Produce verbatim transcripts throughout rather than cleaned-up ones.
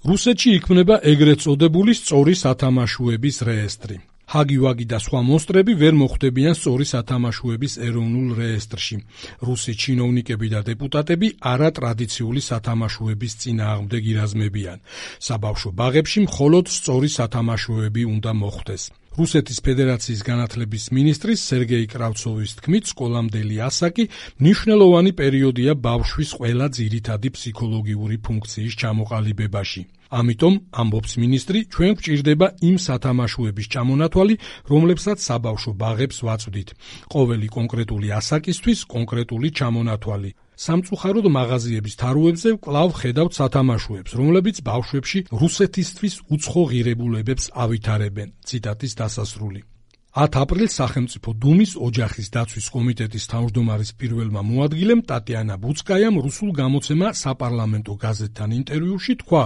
რუსეთში იქმნება ეგრეთ წოდებული სწორი სათამაშოების რეესტრი. ჰაგი-ვაგი და სხვა მონსტრები ვერ მოხვდებიან სწორი სათამაშოების ეროვნულ რეესტრში. რუსი ჩინოვნიკები და დეპუტატები არატრადიციული სათამაშოების წინააღმდეგ ირაზმებიან. საბავშვო ბაღებში მხოლოდ სწორი სათამაშოები უნდა მოხვდეს. რუსეთის ფედერაციის განათლების მინისტრის სერგეი კრავცოვის თქმით, სკოლამდელი ასაკი მნიშვნელოვანი პერიოდია ბავშვის ყველა ძირითადი ფსიქოლოგიური ფუნქციის ჩამოყალიბებაში. ამიტომ, ამბობს მინისტრი, ჩვენ გვჭირდება იმ სათამაშოების ჩამონათვალი, რომლებსაც საბავშვო ბაღებს ვაწვდით. ყოველი კონკრეტული ასაკისთვის კონკრეტული ჩამონათვალი. სამწუხაროდ მაღაზიების თაროებზე კვლავ ხედავთ სათამაშოებს, რომლებიც ბავშვებში რუსეთისთვის უცხო ღირებულებებს ავითარებენ. ციტატის დასასრული. ათი აპრილს სახელმწიფო დუმის ოჯახის დაცვის კომიტეტის თავმჯდომარის პირველმა მოადგილემ ტატიანა ბუცკაიამ რუსულ გამოცემა საპარლამენტო გაზეთთან ინტერვიუში თქვა,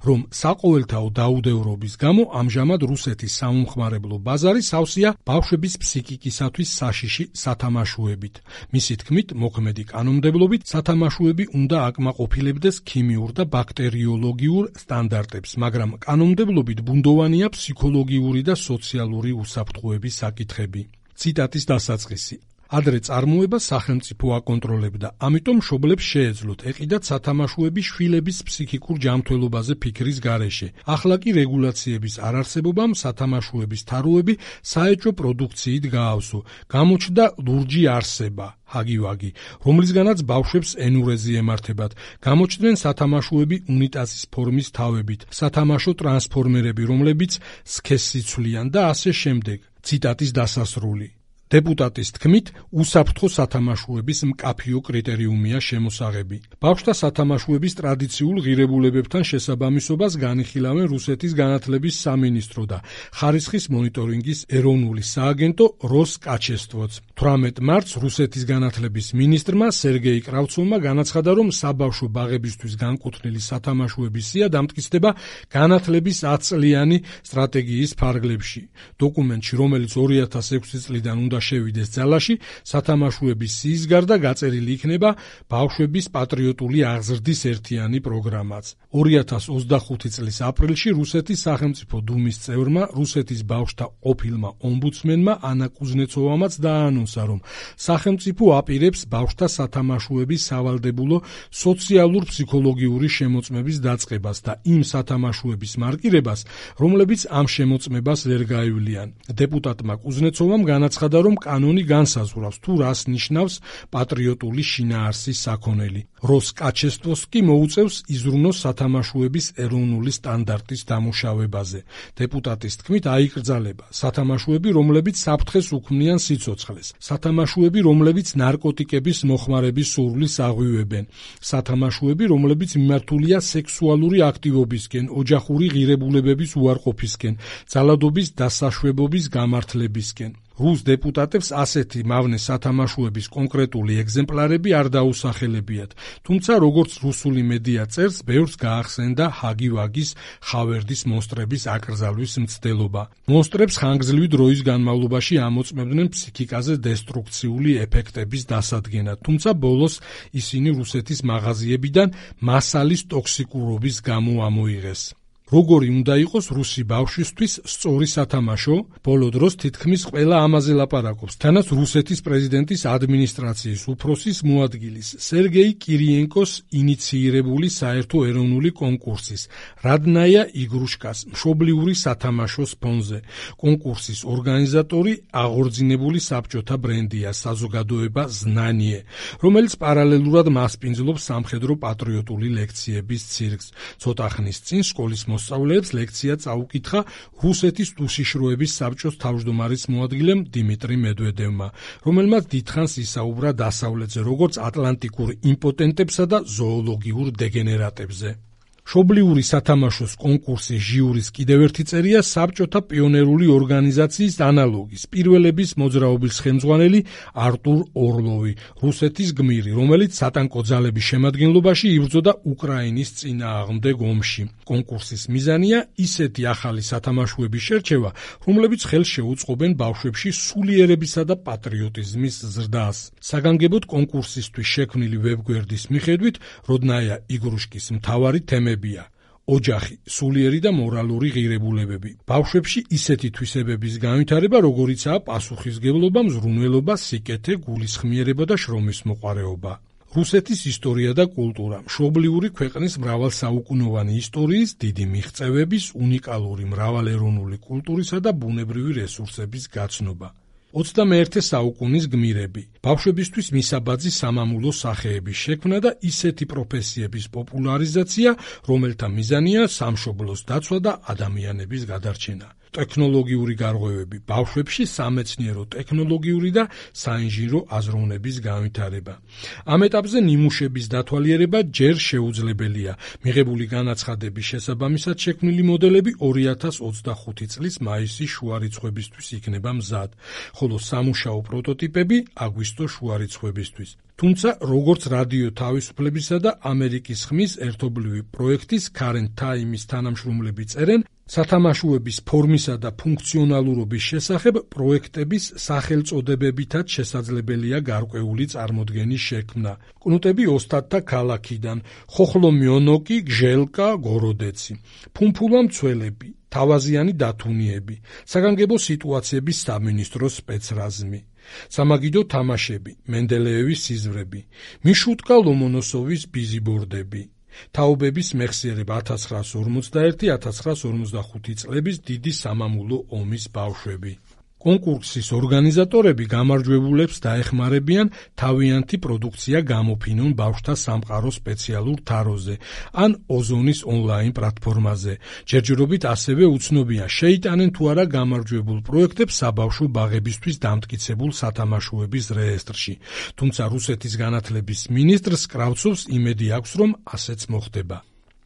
რომ საყოველთაო დაუდევრობის გამო ამჟამად რუსეთის საუმხმარებლო ბაზარი სავსეა ბავშვების ფსიქიკისათვის საშიში სათამაშოებით. მისი თქმით, მოქმედი კანონმდებლობით სათამაშოები უნდა აკმაყოფილებდეს ქიმიურ და ბაქტერიოლოგიურ სტანდარტებს, მაგრამ კანონმდებლობით ბუნდოვანია ფსიქოლოგიური და სოციალური უსაფრთხოების საკითხები. ციტატის დასაწყისი. ადრე წარმოება სახელმწიფო აკონტროლებდა, ამიტომ მშობლებს შეეძლოთ ეყიდათ სათამაშოები შვილების ფსიქიკურ ჯანმრთელობაზე ფიქრის გარეშე. ახლა კი რეგულაციების არარსებობამ სათამაშოების თაროები საეჭვო პროდუქციით გაავსო. გამოჩნდა ლურჯი არსება, ჰაგი-ვაგი, რომლისგანაც ბავშვებს ენურეზი ემართებათ. გამოჩნდნენ სათამაშოები უნიტაზის ფორმის თავებით, სათამაშო ტრანსფორმერები, რომლებიც სქესს იცვლიან და ასე შემდეგ. ციტატის დასასრული. დეპუტატის თქმით, უსაფრთხო სათამაშოების მკაფიო კრიტერიუმია შემოსაღები. ბავშვთა სათამაშოების ტრადიციულ ღირებულებებთან შესაბამისობას განიხილავენ რუსეთის განათლების სამინისტრო და ხარისხის მონიტორინგის ეროვნული სააგენტო როსკაჩესტვოც. თვრამეტ მარტს რუსეთის განათლების მინისტრმა სერგეი კრავცოვმა განაცხადა, რომ საბავშვო ბაღებისთვის განკუთვნილი სათამაშოების სია დამტკიცდება განათლების ათწლიანი სტრატეგიის ფარგლებში. დოკუმენტში, რომელიც ორი ათას ექვსი წლიდან უნდა შევიდეს ძალაში, სათამაშოების სიის გარდა გაწერილი იქნება ბავშვების პატრიოტული აღზრდის ერთიანი პროგრამაც. ორი ათას ოცდახუთი წლის აპრილში რუსეთის სახელმწიფო დუმის წევრმა, რუსეთის ბავშვთა ყოფილმა ომბუდსმენმა ანა კუზნეცოვამაც დაანონსა, რომ სახელმწიფო აპირებს ბავშვთა სათამაშოების სავალდებულო სოციალურ-ფსიქოლოგიური შემოწმების დაწყებას და იმ სათამაშოების მარკირებას, რომლებიც ამ შემოწმებას ვერ გაივლიან. დეპუტატმა კუზნეცოვამ განაცხადა, რომ კანონი განსაზღვრავს თუ რას ნიშნავს პატრიოტული შინაარსის საქონელი. როსკაჩესტვოს კი მოუწევს იზრუნოს სათამაშოების ეროვნული სტანდარტის დამუშავებაზე. დეპუტატის თქმით, აიკრძალება სათამაშოები, რომლებიც საფრთხეს უქმნიან სიცოცხლეს, სათამაშოები, რომლებიც ნარკოტიკების მოხმარების სურვილს აღვივებენ, სათამაშოები, რომლებიც მიმართულია სექსუალური აქტივობისკენ, ოჯახური ღირებულებების უარყოფისკენ, ძალადობის დასაშვებობის გამართლებისკენ. რუს დეპუტატებს ასეთი მავნე სათამაშოების კონკრეტული ეგზემპლარები არ დაუსახელებიათ, თუმცა როგორც რუსული მედია წერს, ბევრს გაახსენდა ჰაგი-ვაგის ხავერდის მონსტრების აკრძალვის მცდელობა. მონსტრებს ხანგრძლივი დროის განმავლობაში ამოწმებდნენ ფსიქიკაზე დესტრუქციული ეფექტების დასადგენად, თუმცა ბოლოს ისინი რუსეთის მაღაზიებიდან მასალის ტოქსიკურობის გამო ამოიღეს. როგორი უნდა იყოს რუსი ბავშვისთვის სწორი სათამაშო? ბოლო დროს თითქმის ყველა ამაზე ლაპარაკობს, თანაც რუსეთის პრეზიდენტის ადმინისტრაციის უფროსის მოადგილის სერგეი კირიენკოს ინიციირებული საერთო ეროვნული კონკურსის რადნაია იგრუშკას მშობლიური სათამაშოს ფონზე. კონკურსის ორგანიზატორი აღორძინებული საბჭოთა ბრენდია საზოგადოება ზნანიე, რომელიც პარალელურად მასპინძლობს სამხედრო პატრიოტული ლექციების ცირკს. ცოტა ხნის წინ სკოლის მოსწავლეებს ლექცია წაუკითხა რუსეთის უშიშროების საბჭოს თავმჯდომარის მოადგილემ დიმიტრი მედვედევმა, რომელმაც დიდხანს ისაუბრა დასავლეთზე, როგორც ატლანტიკურ იმპოტენტებსა და ზოოლოგიურ დეგენერატებზე. მშობლიური სათამაშოს კონკურსის ჟიურის კიდევ ერთი წერია საბჭოთა პიონერული ორგანიზაციის ანალოგის პირველების მოძრაობის ხელმძღვანელი არტურ ორლოვი, რუსეთის გმირი, რომელიც სატანკო ძალების შემადგენლობაში იბრძოდა უკრაინის წინააღმდეგ ომში. კონკურსის მიზანია ისეთი ახალი სათამაშოების შერჩევა, რომლებიც ხელს შეუწყობენ ბავშვებში სულიერებისა და პატრიოტიზმის ზრდას. საგანგებოდ კონკურსისთვის შექმნილი ვებგვერდის მიხედვით, როდნაია იგრუშკის მთავარი თემებია: ოჯახი, სულიერი და მორალური ღირებულებები. ბავშვებში ისეთი თვისებების განვითარება, როგორიცაა პასუხისმგებლობა, მზრუნველობა, სიკეთე, გულისხმიერება და შრომის მოყვარეობა. რუსეთის ისტორია და კულტურა, მშობლიური ქვეყნის მრავალსაუკუნოვანი ისტორიის, დიდი მიღწევების, უნიკალური მრავალეროვნული კულტურისა და ბუნებრივი რესურსების გაცნობა. ოცდამეერთე საუკუნის გმირები, ბავშვებისთვის მისაბაძი სამამულო სახეების შექმნა და ისეთი პროფესიების პოპულარიზაცია, რომელთა მიზანია სამშობლოს დაცვა და ადამიანების გადარჩენა. ტექნოლოგიური გარღვევები, ბავშვებში სამეცნიერო ტექნოლოგიური და საინჟინრო აზროვნების განვითარება. ამ ეტაპზე ნიმუშების დათვალიერება ჯერ შეუძლებელია. მიღებული განაცხადების შესაბამისად შექმნილი მოდელები ორი ათას ოცდახუთი წლის მაისის შუარიცხვებისთვის იქნება მზად, ხოლო სამუშაო პროტოტიპები აგვისტოს შუარიცხვებისთვის. თუმცა, როგორც რადიო თავისუფლებისა და ამერიკის ხმის ერთობლივი პროექტის Current Time-ის თანამშრომლები წერენ, სათამაშოების ფორმისა და ფუნქციონალურობის შესახებ პროექტების სახელწოდებებითაც შესაძლებელია გარკვეული წარმოდგენის შექმნა. კნუტები ოსტატთა ქალაქიდან, ხოხლომიონოკი, გჟელკა, გოროდეცი, ფუმფულა მცველები, თავაზიანი დათუნიები, საგანგებო სიტუაციების სამინისტროს სპეცრაზმი. სამაგიდო თამაშები, მენდელეევის სიზვრები, მიშუტკა ლომონოსოვის ბიზიბორდები, თაობების მეხსიერება ათას ცხრაას ორმოცდაერთი - ათას ცხრაას ორმოცდახუთი წლების დიდი სამამულო ომის ბავშვები. კონკურსის ორგანიზატორები გამარჯვებულებს დაეხმარებიან თავიანთი პროდუქცია გამოფინონ ბავშვთა სამყარო სპეციალურ თაროზე ან ოზონის ონლაინ პლატფორმაზე. ჯერჯერობით ასევე უცნობია შეიტანენ თუ არა გამარჯვებულ პროექტებს საბავშვო ბაღებისთვის დამტკიცებულ სათამაშოების რეესტრში. თუმცა რუსეთის განათლების მინისტრს კრავცოვს იმედი აქვს, რომ ასეც მოხდება.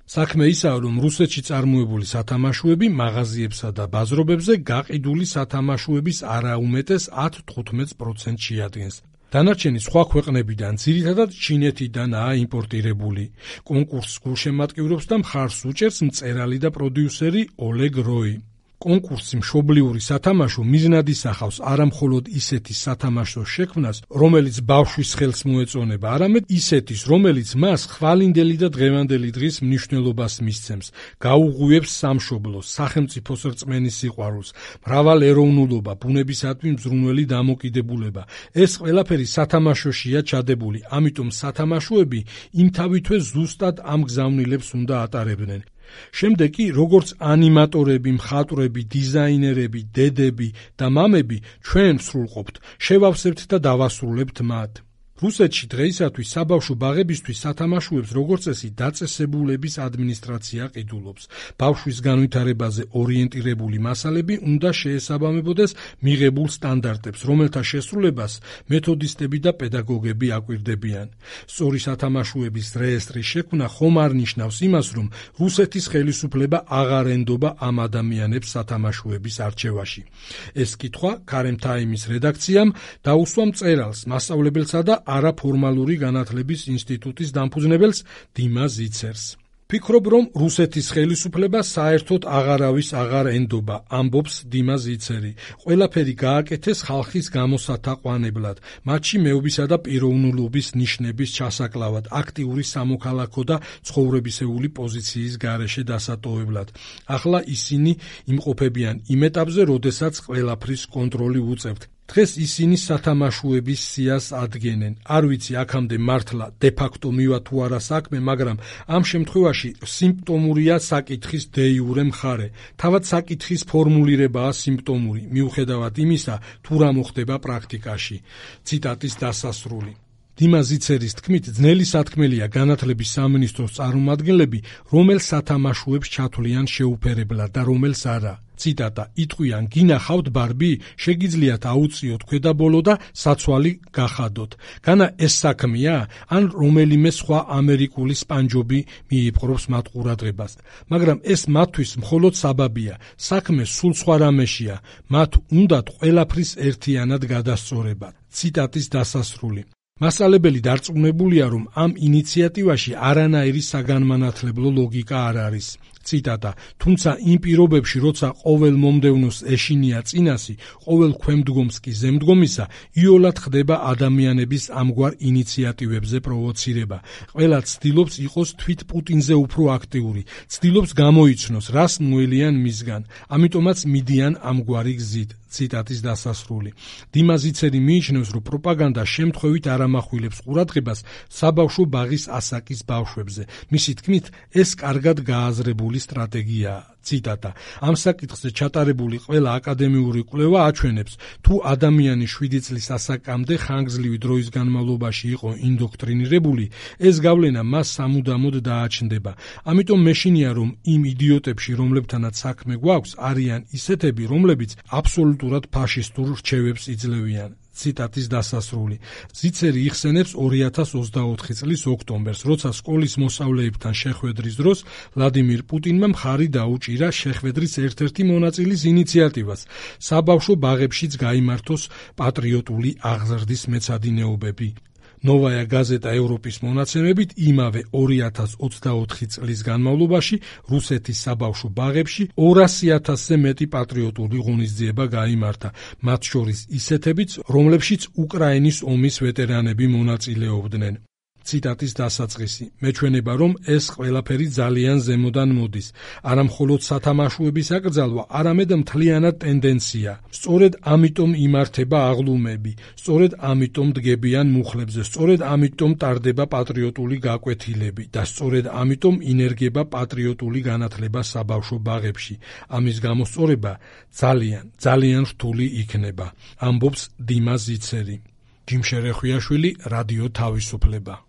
საქმე ისაა, რომ რუსეთში წარმოებული სათამაშოები მაღაზიებსა და ბაზრობებზე გაყიდული სათამაშოების არაუმეტეს ათ-თხუთმეტ პროცენტს შეადგენს. დანარჩენი სხვა ქვეყნებიდან, ძირითადად ჩინეთიდანაა იმპორტირებული. კონკურსს გულშემატკივრობს და მხარს უჭერს მწერალი და პროდიუსერი ოლეგ როი. კონკურსი მშობლიური სათამაშო მიზნად ისახავს არა მხოლოდ ისეთის სათამაშოს შექმნას, რომელიც ბავშვის ხელს მოეწონება, არამედ ისეთის, რომელიც მას ხვალინდელი და დღევანდელი დღის მნიშვნელობას მისცემს, გაუღვივებს სამშობლოს, სახელმწიფოს რწმენის სიყვარულს, მრავალეროვნულობა, ბუნებისადმი მზრუნველი დამოკიდებულება. ეს ყველაფერი სათამაშოშია ჩადებული, ამიტომ სათამაშოები იმთავითვე ზუსტად ამ გზავნილებს უნდა ატარებდნენ. შემდეგ კი, როგორც ანიმატორები, მხატვრები, დიზაინერები, დედები და მამები, ჩვენ ვსრულყოფთ, შევავსებთ და დავასრულებთ მათ. რუსეთში დღეისათვის საბავშვო ბაღებისთვის სათამაშოებს როგორც წესი დაწესებულების ადმინისტრაცია ყიდულობს. ბავშვის განვითარებაზე ორიენტირებული მასალები უნდა შეესაბამებოდეს მიღებულ სტანდარტებს, რომელთა შესრულებას მეთოდისტები და პედაგოგები აკვირდებიან. სწორი სათამაშოების რეესტრის შექმნა ხომ არ ნიშნავს იმას, რომ რუსეთის ხელისუფლება აღარ ენდობა ამ ადამიანებს სათამაშოების არჩევაში. ეს კითხვა Current Time-ის რედაქციამ დაუსვა მწერალს, მასწავლებელსა და არაფორმალური განათლების ინსტიტუტის დამფუძნებელს დიმა ზიცერს. ფიქრობ, რომ რუსეთის ხელისუფლება საერთოდ აღარავის აღარ ენდობა, ამბობს დიმა ზიცერი. ყველაფერი გააკეთეს ხალხის გამოსათაყვანებლად, მათში მეობისა და პიროვნულობის ნიშნების ჩასაკლავად, აქტიური სამოქალაქო და ცხოვრებისეული პოზიციის გარეშე დასატოვებლად. ახლა ისინი იმყოფებიან იმ ეტაპზე, როდესაც ყველაფრის კონტროლი უწევთ. დღეს ისინი სათამაშოების სიას ადგენენ. არ ვიცი აქამდე მართლა დე-ფაქტო მივა თუ არა საქმე, მაგრამ ამ შემთხვევაში სიმპტომურია საკითხის დე-იურე მხარე. თავად საკითხის ფორმულირებაა სიმპტომური, მიუხედავად იმისა, თუ რა მოხდება პრაქტიკაში. ციტატის დასასრული. დიმა ზიცერის თქმით, ძნელი სათქმელია განათლების სამინისტროს წარმომადგენლები, რომელ სათამაშოებს ჩათვლიან შეუფერებლად და რომელს არა. ციტატა: იტყვიან, გინახავთ ბარბი, შეგიძლიათ აუწიოთ ქვედაბოლო და საცვალი გახადოთ. განა ეს საქმეა, ან რომელიმე სხვა ამერიკული სპანჯობი მიიპყრობს მათ ყურადღებას. მაგრამ ეს მათთვის მხოლოდ საბაბია. საქმე სულ სხვა რამეშია. მათ უნდათ ყველაფრის ერთიანად გადასწორება. ციტატის დასასრული. მასწავლებელი დარწმუნებულია, რომ ამ ინიციატივაში არანაირი საგანმანათლებლო ლოგიკა არ არის. ციტატა. თუმცა იმ პირობებში, როცა ყოველ მომდევნოს ეშინია წინასი, ყოველ ქვემდგომს კი ზემდგომისა, იოლად ხდება ადამიანების ამგვარ ინიციატივებზე პროვოცირება. ყველა ცდილობს იყოს თვით პუტინზე უფრო აქტიური, ცდილობს გამოიცნოს, რას მოელიან მისგან. ამიტომაც მიდიან ამგვარი გზით. ციტატის დასასრული. დიმა ზიცერი მიიჩნევს, რომ პროპაგანდა შემთხვევით არ ამახვილებს ყურადღებას საბავშვო ბაღის ასაკის ბავშვებზე. მისი თქმით, ეს კარგად გააზრებული სტრატეგიაა. ციტატა. ამ საკითხზე ჩატარებული ყველა აკადემიური კვლევა აჩვენებს, თუ ადამიანი შვიდი წლის ასაკამდე ხანგრძლივი დროის განმავლობაში იყო ინდოქტრინირებული, ეს გავლენა მას სამუდამოდ დააჩნდება. ამიტომ მეშინია, რომ იმ იდიოტებში, რომლებთანაც საქმე გვაქვს, არიან ისეთები, რომლებიც აბსოლუტურად ფაშისტურ რჩევებს იძლევიან. ციტატის დასასრული. ზიცერი იხსენებს ორი ათას ოცდაოთხი წლის ოქტომბერს, როცა სკოლის მოსწავლეებთან შეხვედრის დროს ვლადიმირ პუტინმა მხარი დაუჭირა შეხვედრის ერთ-ერთი მონაწილის ინიციატივას, საბავშვო ბაღებშიც გაიმართოს პატრიოტული აღზრდის მეცადინეობები. ნოვაია გაზეტა ევროპის მონაცემებით იმავე ორი ათას ოცდაოთხი წლის განმავლობაში რუსეთის საბავშვო ბაღებში ორასი ათასზე მეტი პატრიოტული ღონისძიება გაიმართა, მათ შორის ისეთებიც, რომლებშიც უკრაინის ომის ვეტერანები მონაწილეობდნენ. ციტატის დასაწყისი. მეჩვენება, რომ ეს ყველაფერი ძალიან ზემოდან მოდის. არა მხოლოდ სათამაშოების აკრძალვა, არამედ მთლიანად ტენდენცია. სწორედ ამიტომ იმართება აღლუმები, სწორედ ამიტომ დგებიან მუხლებზე, სწორედ ამიტომ ტარდება პატრიოტული გაკვეთილები და სწორედ ამიტომ ინერგება პატრიოტული განათლება საბავშვო ბაღებში. ამის გამოსწორება ძალიან, ძალიან რთული იქნება. ამბობს დიმა ზიცერი. ჯიმშერე ხვიაშვილი, რადიო თავისუფლება.